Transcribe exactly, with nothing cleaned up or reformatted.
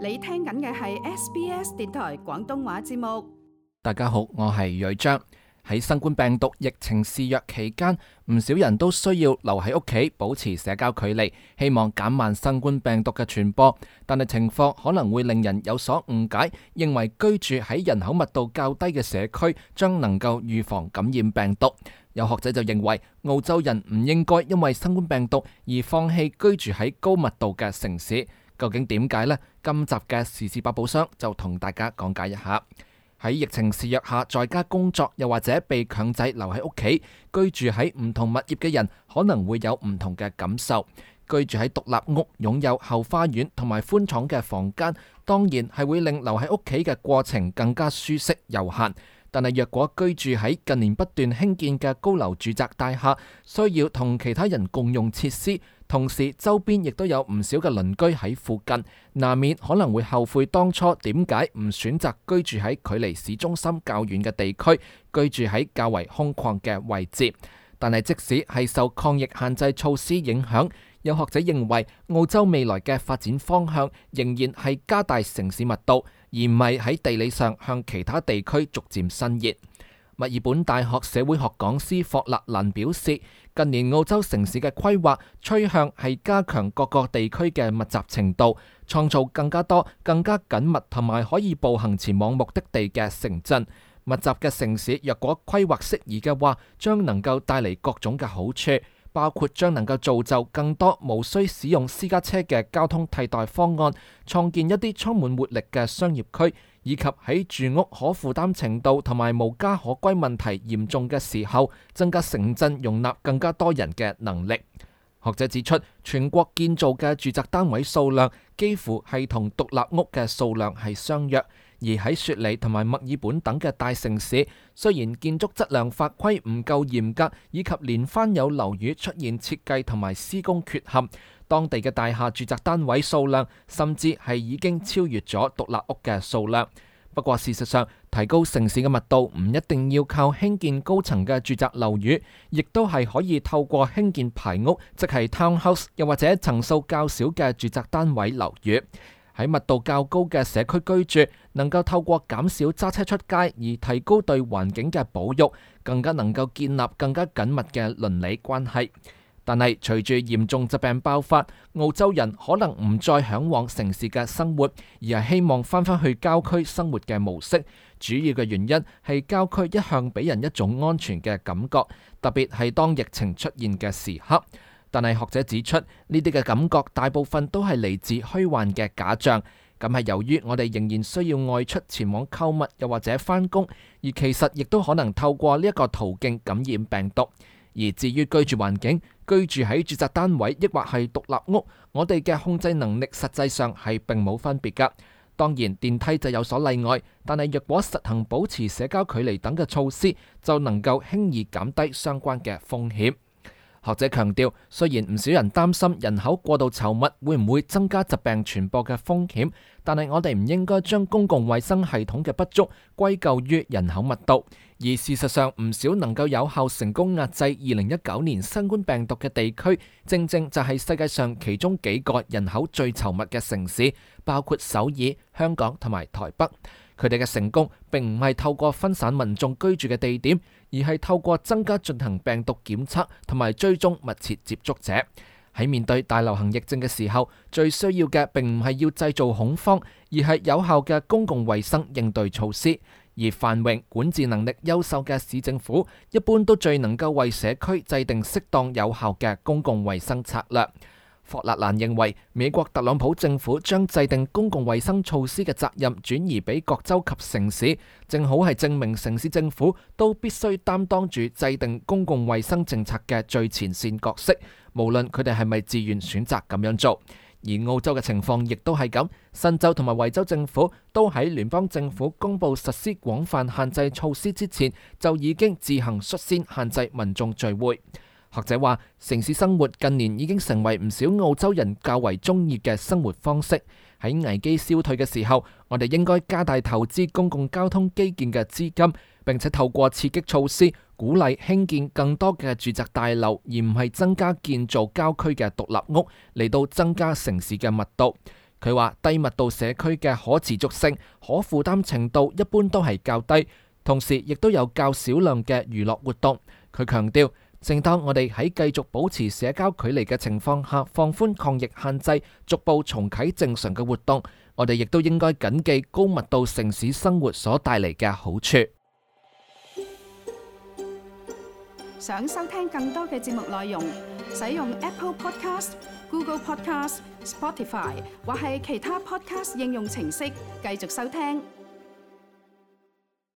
你聽緊嘅係 S B S 電台廣東話節目。大家好，我係瑞章。喺新冠病毒疫情肆虐期間，唔少人都需要留喺屋企保持社交距離，希望減慢新冠病毒嘅傳播。但係情況可能會令人有所誤解，認為居住喺人口密度較低嘅社區將能夠預防感染病毒。有學者就認為，澳洲人唔應該因為新冠病毒而放棄居住喺高密度嘅城市。究竟點解呢？今集嘅時事百寶箱就同大家講解一下。喺疫情肆虐下，在家工作又或者被強制留喺屋企居住喺唔同物業嘅人，可能會有唔同嘅感受。居住喺獨立屋，擁有後花園同埋寬敞嘅房間，當然係會令留喺屋企嘅過程更加舒適悠閒。但係若果居住喺近年不斷興建嘅高樓住宅大廈，需要同其他人共用設施，同時周邊亦都有唔少嘅鄰居喺附近，難免可能會後悔當初點解唔選擇居住喺距離市中心較遠嘅地區，居住喺較為空曠嘅位置。但係即使係受抗疫限制措施影響，有學者認為澳洲未來嘅發展方向仍然係加大城市密度，而唔係喺地理上向其他地區逐漸伸延。墨爾本大學社會學講師霍勒蘭表示，近年澳洲城市嘅規劃趨向係加強各個地區嘅密集程度，創造更加多、更加緊密同埋可以步行前往目的地嘅城鎮。密集嘅城市若果規劃適宜嘅話，將能夠帶嚟各種嘅好處，包括將能夠造就更多無需使用私家車嘅交通替代方案，創建一啲充滿活力嘅商業區，以及喺住屋可負擔程度同埋無家可歸問題嚴重嘅時候，增加城鎮容納更加多人嘅能力。學者指出，全國建造嘅住宅單位數量幾乎係同獨立屋嘅數量係相若。而喺雪梨同埋墨爾本等嘅大城市，雖然建築質量法規唔夠嚴格，以及連番有樓宇出現設計同埋施工缺陷，當地嘅大廈住宅單位數量甚至係已經超越咗獨立屋嘅數量。不過事實上，提高城市嘅密度唔一定要靠興建高層嘅住宅樓宇，亦都係可以透過興建排屋，即係 townhouse， 又或者層數較少嘅住宅單位樓宇。喺密度較高嘅社區居住，能夠透過減少揸車出街而提高對環境嘅保育，更加能夠建立更加緊密嘅鄰里關係。但係隨住嚴重疾病爆發，澳洲人可能唔再向往城市嘅生活，而係希望翻返去郊區生活嘅模式。主要嘅原因係郊區一向俾人一種安全嘅感覺，特別係當疫情出現嘅時刻。但係學者指出，呢啲嘅感覺大部分都係嚟自虛幻嘅假象，咁係由於我哋仍然需要外出前往購物又或者返工，而其實亦都可能透過呢一個途徑感染病毒。而至於居住環境，居住喺住宅單位抑或係獨立屋，我哋嘅控制能力實際上係並冇分別㗎。當然電梯就有所例外，但係若果實行保持社交距離等嘅措施，就能夠輕易減低相關嘅風險。學者強調，雖然唔少人擔心人口過度稠密會唔會增加疾病傳播嘅風險，但係我哋唔應該將公共衛生系統嘅不足歸咎於人口密度。而事實上，唔少能夠有效成功壓制二零一九年新冠病毒嘅地區，正正就係世界上其中幾個人口最稠密嘅城市，包括首爾、香港同埋台北。佢哋嘅成功並唔係透過分散民眾居住嘅地點，而係透過增加進行病毒檢測同埋追蹤密切接觸者。喺面對大流行疫症嘅時候，最需要嘅並唔係要製造恐慌，而係有效嘅公共衛生應對措施。而繁榮、管治能力優秀嘅市政府，一般都最能夠為社區制定適當有效嘅公共衛生策略。霍勒蘭認為，美國特朗普政府將制定公共衛生措施嘅責任轉移俾各州及城市，正好係證明城市政府都必須擔當住制定公共衛生政策嘅最前線角色，無論佢哋係咪自願選擇咁樣做。而澳洲嘅情況亦都係咁，新州同埋維州政府都喺聯邦政府公布實施廣泛限制措施之前，就已經自行率先限制民眾聚會。學者話，城市生活近年已經成為唔少澳洲人較為中意嘅生活方式。喺危機消退嘅時候，我哋應該加大投資公共交通基建嘅資金，並且透過刺激措施鼓勵興建更多嘅住宅大樓，而唔係增加建造郊區嘅獨立屋嚟到增加城市嘅密度。佢話低密度社區嘅可持續性、可負擔程度一般都係較低，同時亦都有較少量嘅娛樂活動。佢強調，正當我哋喺繼續保持社交距離嘅情況下放寬抗疫限制，逐步重啟正常嘅活動，我哋亦都應該謹記高密度城市生活所帶嚟嘅好處。想收聽更多嘅節目內容，使用 Apple Podcast、Google Podcast、Spotify 或係其他 Podcast 應用程式繼續收聽。